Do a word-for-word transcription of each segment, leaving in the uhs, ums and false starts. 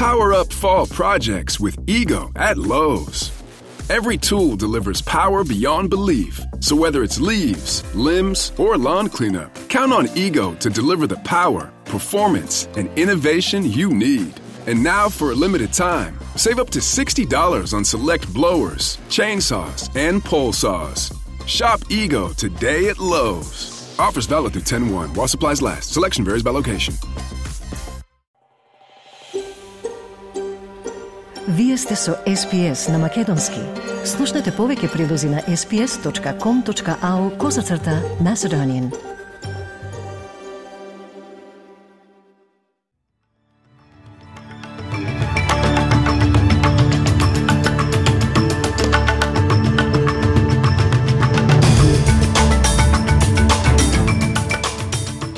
Power up fall projects with Ego at Lowe's. Every tool delivers power beyond belief. So whether it's leaves, limbs, or lawn cleanup, count on Ego to deliver the power, performance, and innovation you need. And now for a limited time, save up to sixty dollars on select blowers, chainsaws, and pole saws. Shop Ego today at Lowe's. Offers valid through ten one while supplies last. Selection varies by location. Вие сте со Ес Пи Ес на Македонски. Слушнете повеќе прилози на ес пи ес точка ком точка ау козацрта Macedonian.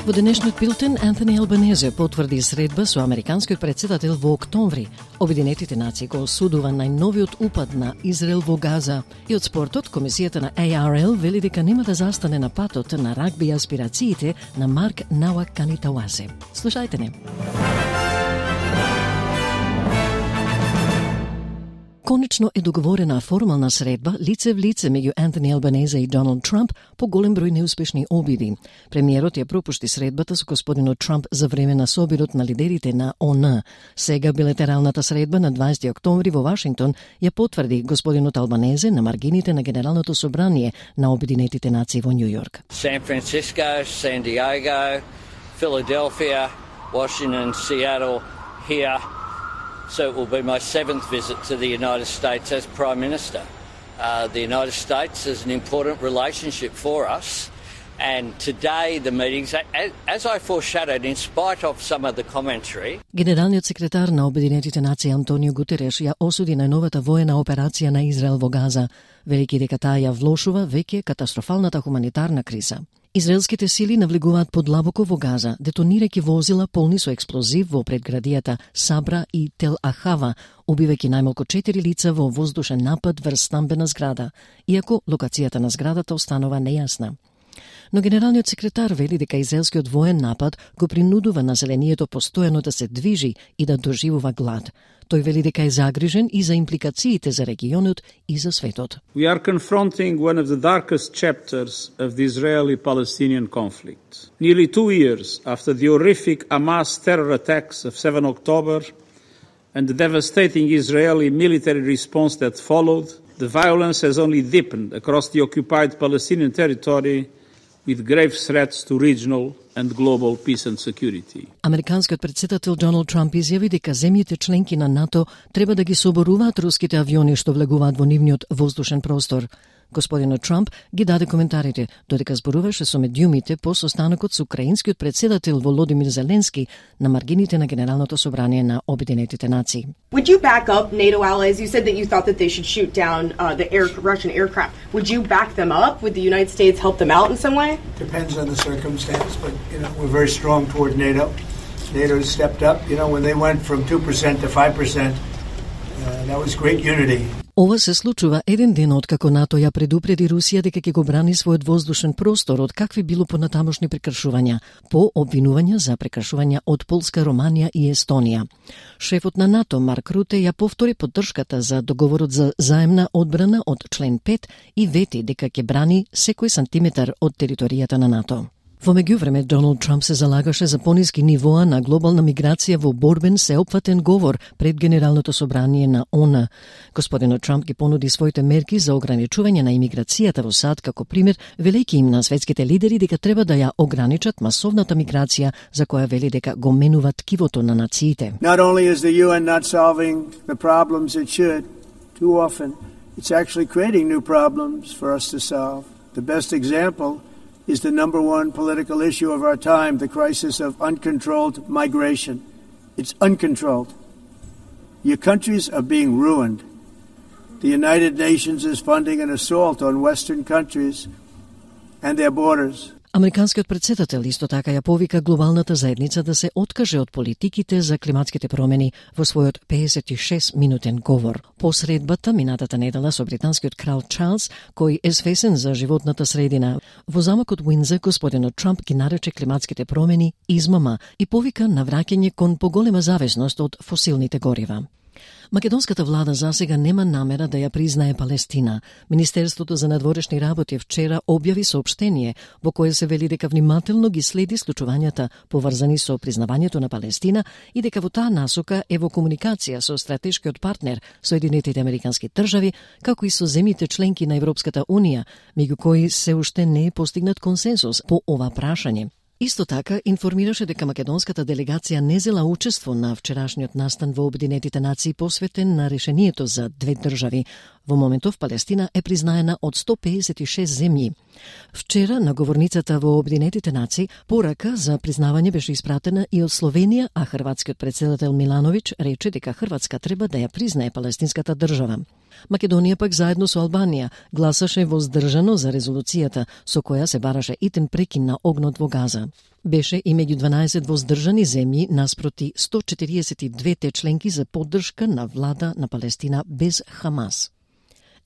Во денешниот билтен, Антони Албанезе потврди средба со американскиот претседател во октомври. Обединетите нации го осудува најновиот упад на Израел во Газа. И од спортот, комисијата на Ей Ар Ел вели дека нема да застане на патот на рагби аспирациите на Марк Науаканитауасе. Слушајте не. Конечно е договорена формална средба лице в лице меѓу Антони Албанезе и Доналд Трамп по голем број неуспешни обиди. Премиерот ја пропушти средбата со господинот Трамп за време на собирот на лидерите на О Н. Сега билатералната средба на дваесети октомври во Вашингтон ја потврди господинот Албанезе на маргините на Генералното собрание на Обединетите нации во Њујорк. San Francisco, San Diego, Philadelphia, Washington, Seattle, here. So it will be my seventh visit to the United States as Prime Minister. Uh, the United States is an important relationship for us, and today the meetings, as I foreshadowed, in spite of some of the commentary... Генералниот секретар на Обединетите нации Антонио Гутереш ја осуди најновата воена операција на Израел во Газа, велики дека таа ја влошува веќе катастрофалната хуманитарна криза. Израелските сили навлегуваат подлабоко во Газа, детонирајќи возила полни со експлозив во предградијата Сабра и Тел Ахава, убивајќи најмалку четири лица во воздушен напад врз стамбена зграда, иако локацијата на зградата останува нејасна. Но генералниот секретар вели дека израелскиот воен напад го принудува населението постојано да се движи и да доживува глад. Тој вели дека е загрижен и за импликациите за регионот и за светот. We are confronting one of the darkest chapters of the Israeli-Palestinian conflict. Nearly two years after the horrific Hamas terror attacks of seven October and the devastating Israeli military response that followed, the violence has only deepened across the occupied Palestinian territory with grave threats to regional and global peace and security. Американскиот претседател Доналд Трамп изјави дека земјите членки на НАТО треба да ги соборуваат руските авиони што влегуваат во нивниот воздушен простор. Господинот Трамп ги даде коментарите додека зборуваше со медиумите по состанокот со украинскиот претседател Володимир Зеленски на маргините на Генералното собрание на Обединетите нации. Would you back up NATO allies? You said that you thought that they should shoot down uh, the air, Russian aircraft. Would you back them up? Would the United States help them out in some way? Depends on the circumstance, but you know we're very strong toward NATO. NATO has stepped up. You know when they went from two percent to five percent, uh, that was great unity. Ова се случува еден ден откако НАТО ја предупреди Русија дека ќе го брани својот воздушен простор од какви било понатамошни прекршувања, по обвинувања за прекршувања од Полска, Романија и Естонија. Шефот на НАТО Марк Руте ја повтори поддршката за договорот за заемна одбрана од член пет и вети дека ќе брани секој сантиметар од територијата на НАТО. Во меѓувреме, Доналд Трамп се залагаше за пониски нивоа на глобална миграција во борбен сеопфатен говор пред Генералното собрание на О Н. Господинот Трамп ги понуди своите мерки за ограничување на имиграцијата во САД како пример, велејќи им на светските лидери дека треба да ја ограничат масовната миграција за која вели дека го менува ткивото на нациите. Not only is the U N not solving the problems it should, too often, it's actually creating new problems for us to solve. The best example is the number one political issue of our time, the crisis of uncontrolled migration. It's uncontrolled. Your countries are being ruined. The United Nations is funding an assault on Western countries and their borders. Американскиот претседател исто така ја повика глобалната заедница да се откаже од политиките за климатските промени во својот педесет и шест минутен говор. По средбата минатата недела со британскиот крал Чарлс, кој е свесен за животната средина. Во замокот Уиндзор господинот Трамп ги нарече климатските промени измама и повика на враќање кон поголема зависност од фосилните горива. Македонската влада засега нема намера да ја признае Палестина. Министерството за надворешни работи вчера објави соопштение во кое се вели дека внимателно ги следи случувањата поврзани со признавањето на Палестина и дека во таа насока е во комуникација со стратешкиот партнер Соединетите Американски држави, како и со земјите членки на Европската Унија, меѓу кои се уште не е постигнат консенсус по ова прашање. Исто така информираше дека македонската делегација не зела учество на вчерашниот настан во Обединетите нации посветен на решението за две држави. Во моментов Палестина е признаена од сто педесет и шест земји. Вчера на говорницата во Обединетите нации порака за признавање беше испратена и од Словенија, а хрватскиот претседател Милановиќ рече дека Хрватска треба да ја признае палестинската држава. Македонија пак заедно со Албанија гласаше воздржано за резолуцијата со која се бараше итен прекин на огнот во Газа. Беше и меѓу дванаесет воздржани земји наспроти сто четириесет и две членки за поддршка на влада на Палестина без Хамас.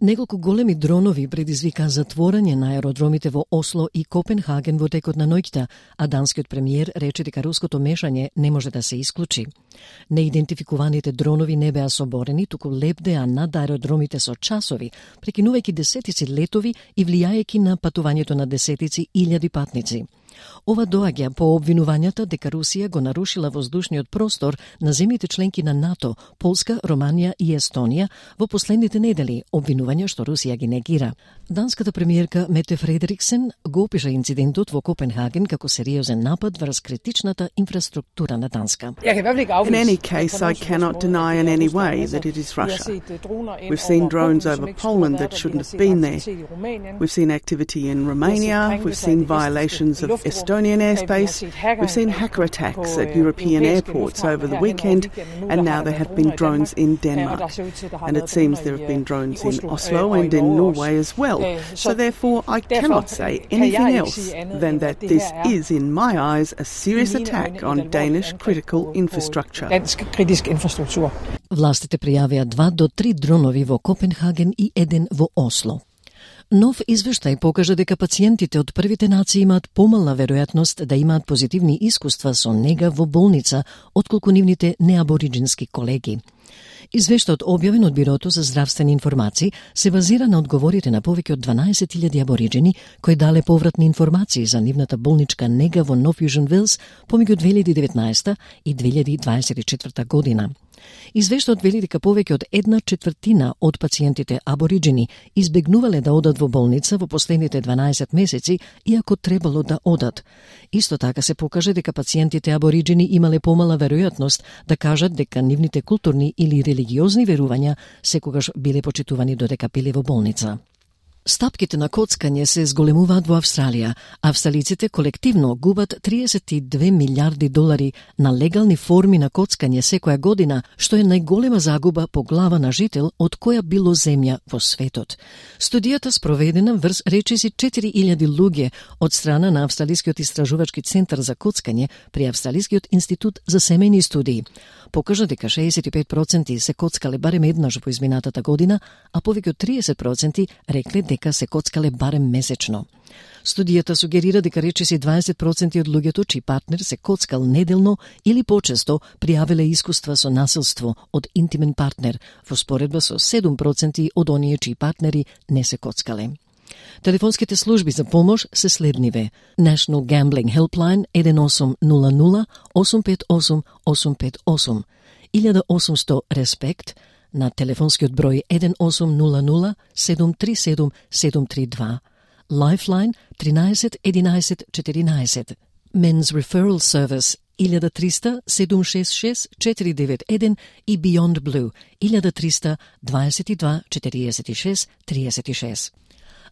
Неколку големи дронови предизвика затворање на аеродромите во Осло и Копенхаген во текот на ноќта, а данскиот премиер рече дека руското мешање не може да се исклучи. Неидентификуваните дронови не беа соборени, туку лебдеа над аеродромите со часови, прекинувајќи десетици летови и влијајќи на патувањето на десетици илјади патници. Ова доаѓа по обвинувањата дека Русија го нарушила воздушниот простор на земјите членки на НАТО, Полска, Романија и Естонија во последните недели, обвинувања што Русија ги негира. Данската премиерка Мете Фредериксен го опиша инцидентот во Копенхаген како сериозен напад врз критичната инфраструктура на Данска. In any case, I cannot deny in any way that it is Russia. We've seen drones over Poland that shouldn't have been there. We've seen activity in Romania. We've seen violations of Estonian airspace. We've seen hacker attacks at European airports over the weekend, and now there have been drones in Denmark. And it seems there have been drones in Oslo and in Norway as well. So therefore, I cannot say anything else than that this is, in my eyes, a serious attack on Danish critical infrastructure. Властите пријавија два до три дронови во Копенхаген и еден во Осло. Нов извештај покажа дека пациентите од првите нации имаат помална веројатност да имаат позитивни искуства со нега во болница отколку нивните неабориджински колеги. Извештајот објавен од Бирото за здравствени информации се базира на одговорите на повеќе од дванаесет илјади абориджени кои дале повратни информации за нивната болничка нега во Нов Јужен Велс помеѓу две илјади и деветнаесета и две илјади дваесет и четврта година. Извештајот вели дека повеќе од една четвртина од пациентите абориджени избегнувале да одат во болница во последните дванаесет месеци, иако требало да одат. Исто така се покаже дека пациентите абориджени имале помала веројатност да кажат дека нивните културни или религиозни верувања секогаш биле почитувани додека биле во болница. Стапките на коцкање се зголемуваат во Австралија. Австралиците колективно губат триесет и две милиарди долари на легални форми на коцкање секоја година, што е најголема загуба по глава на жител од која било земја во светот. Студијата спроведена врз речиси четири илјади луѓе од страна на Австралискиот истражувачки центар за коцкање при Австралискиот институт за семејни студии покажа дека шеесет и пет проценти се коцкале барем еднаш во изминатата година, а повеќе од триесет проценти рекле дека се коцкале барем месечно. Студијата сугерира дека речиси дваесет проценти од луѓето чиј партнер се коцкал неделно или почесто пријавиле искуства со насилство од интимен партнер, во споредба со седум проценти од оние чиј партнери не се коцкале. Телефонските служби за помош се следниве: National Gambling Helpline еден осум нула нула осум пет осум осум пет осум, илјада и осумсто Респект на телефонскиот број еден осум нула нула седум три седум седум три два, Lifeline тринаесет единаесет четиринаесет, Men's Referral Service илјада и триста седум шест шест четири девет еден и Beyond Blue илјада и триста дваесет и два четириесет и шест триесет и шест.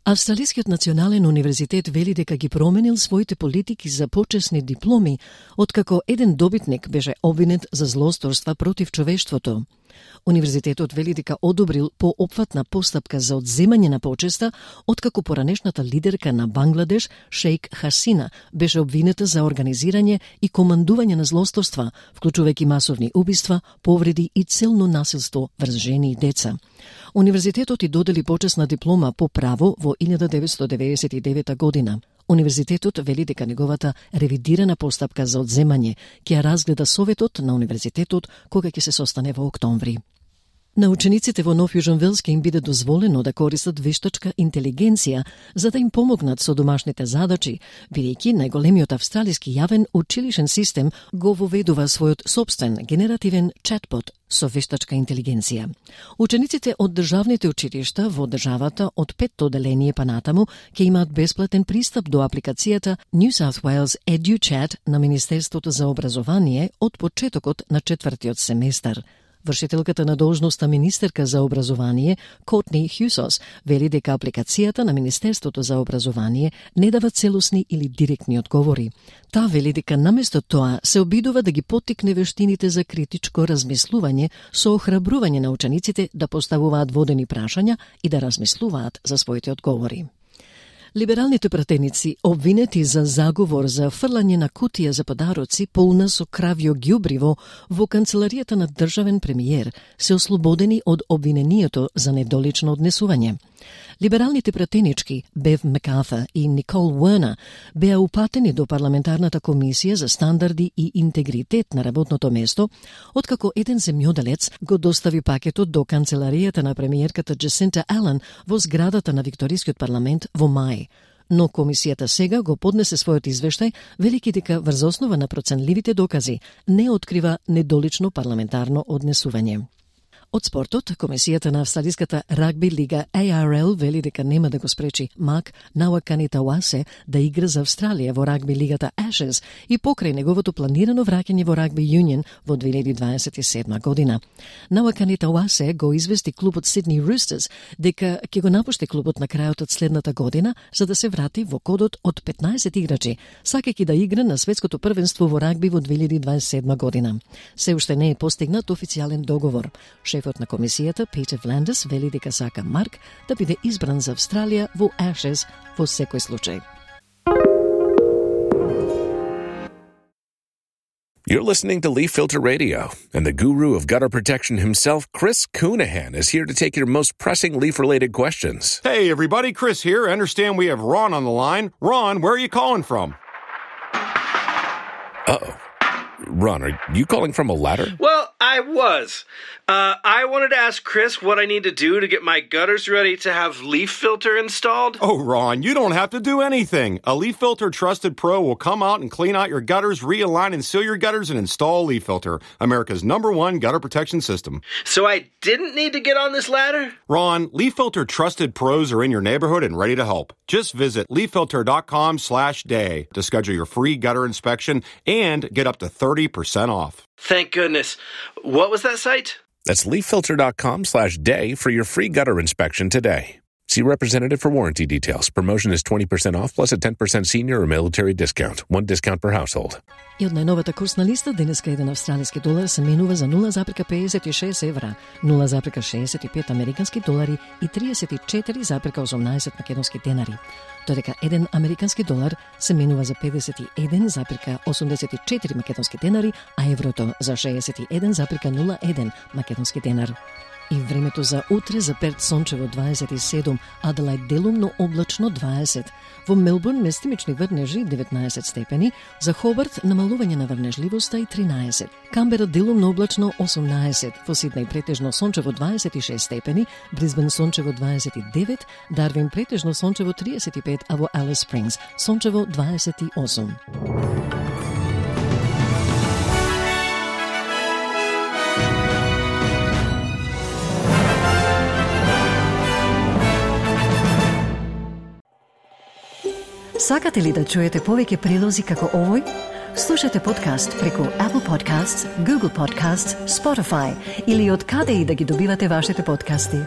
Австралискиот национален универзитет вели дека ги променил своите политики за почесни дипломи, откако еден добитник беше обвинет за злосторства против човештвото. Универзитетот вели дека одобрил поопфатна постапка за одземање на почеста, откако поранешната лидерка на Бангладеш, Шејк Хасина, беше обвинета за организирање и командување на злосторства, вклучувајќи масовни убиства, повреди и целно насилство врз жени и деца. Универзитетот и додели почесна диплома по право во илјада деветстотини деветдесет и девета година. Универзитетот вели дека неговата ревидирана постапка за одземање ќе ја разгледа Советот на Универзитетот кога ќе се состане во октомври. На учениците во Нов Јужен Велс ќе им биде дозволено да користат вештачка интелигенција за да им помогнат со домашните задачи, бидејќи најголемиот австралиски јавен училишен систем го воведува својот собствен генеративен чатбот со вештачка интелигенција. Учениците од државните училишта во државата од петто одделение па натаму ќе имаат бесплатен пристап до апликацијата New South Wales EduChat на Министерството за образование од почетокот на четвртиот семестар. Вршителката на должноста министерка за образование, Котни Хјусос, вели дека апликацијата на Министерството за образование не дава целосни или директни одговори. Таа вели дека наместо тоа се обидува да ги поттикне вештините за критичко размислување со охрабрување на учениците да поставуваат водени прашања и да размислуваат за своите одговори. Либералните пратеници, обвинети за заговор за фрлање на кутија за подароци полна со кравјо ѓубриво во канцеларијата на државен премиер, се ослободени од обвинението за недолично однесување. Либералните пратенички Бев Мекарта и Никол Уернер беа упатени до парламентарната комисија за стандарди и интегритет на работното место, откако еден земјоделец го достави пакетот до канцеларијата на премиерката Джесинта Ален во зградата на Викторискиот парламент во мај. Но комисијата сега го поднесе својот извештај, велики дека врз основа на проценливите докази не открива недолично парламентарно однесување. Од спортот, комисијата на австралиската рагби лига А Р Л вели дека нема да го спречи Мак Науакани Тауасе да игра за Австралија во рагби лигата Ashes и покрај неговото планирано враќање во рагби Юнион во две илјади дваесет и седма година. Науакани Тауасе го извести клубот Сидни Рустерс дека ќе го напушти клубот на крајот од следната година за да се врати во кодот од петнаесет играчи, сакајќи да игра на светското првенство во рагби во две илјади дваесет и седма година. Се уште не е постигнат официјален договор. Шефот на комисијата, Питер Вландес, вели дека сака Марк да биде избран за Австралија во Ashes во секој случај. You're listening to Leaf Filter Radio, and the guru of gutter protection himself, Chris Coonahan, is here to take your most pressing leaf-related questions. Hey, everybody, Chris here. I understand we have Ron on the line. Ron, where are you calling from? Uh-oh. Ron, are you calling from a ladder? Well, I was. Uh, I wanted to ask Chris what I need to do to get my gutters ready to have Leaf Filter installed. Oh, Ron, you don't have to do anything. A Leaf Filter Trusted Pro will come out and clean out your gutters, realign and seal your gutters, and install Leaf Filter, America's number one gutter protection system. So I didn't need to get on this ladder? Ron, Leaf Filter Trusted Pros are in your neighborhood and ready to help. Just visit leaffilter.com slash day to schedule your free gutter inspection and get up to thirty percent off. Thank goodness. What was that site? That's leaffilter.com slash day for your free gutter inspection today. See representative for warranty details. Promotion is twenty percent off plus a ten percent senior or military discount. One discount per household. И од најновата курсна листа, денеска еден австралиски долар се менува за нула запирка педесет и шест евра, нула запирка шеесет и пет американски долари и триесет и четири запирка осумнаесет македонски денари. Додека еден американски долар се менува за педесет и еден запирка осумдесет и четири македонски денари, а еврото за шеесет и еден запирка нула еден македонски денар. И времето за утре за Перт сончево дваесет и седум, Аделајд делумно облачно дваесет, во Мелбурн местимични врнежи деветнаесет степени, за Хобарт намалување на врнежливоста и тринаесет, Камбера делумно облачно осумнаесет, во Сиднеј претежно сончево дваесет и шест степени, Брисбен сончево дваесет и девет, Дарвин претежно сончево триесет и пет, а во Алис Спрингс сончево дваесет и осум. Сакате ли да чуете повеќе прилози како овој? Слушате подкаст преку Apple Podcasts, Google Podcasts, Spotify или од каде и да ги добивате вашите подкасти.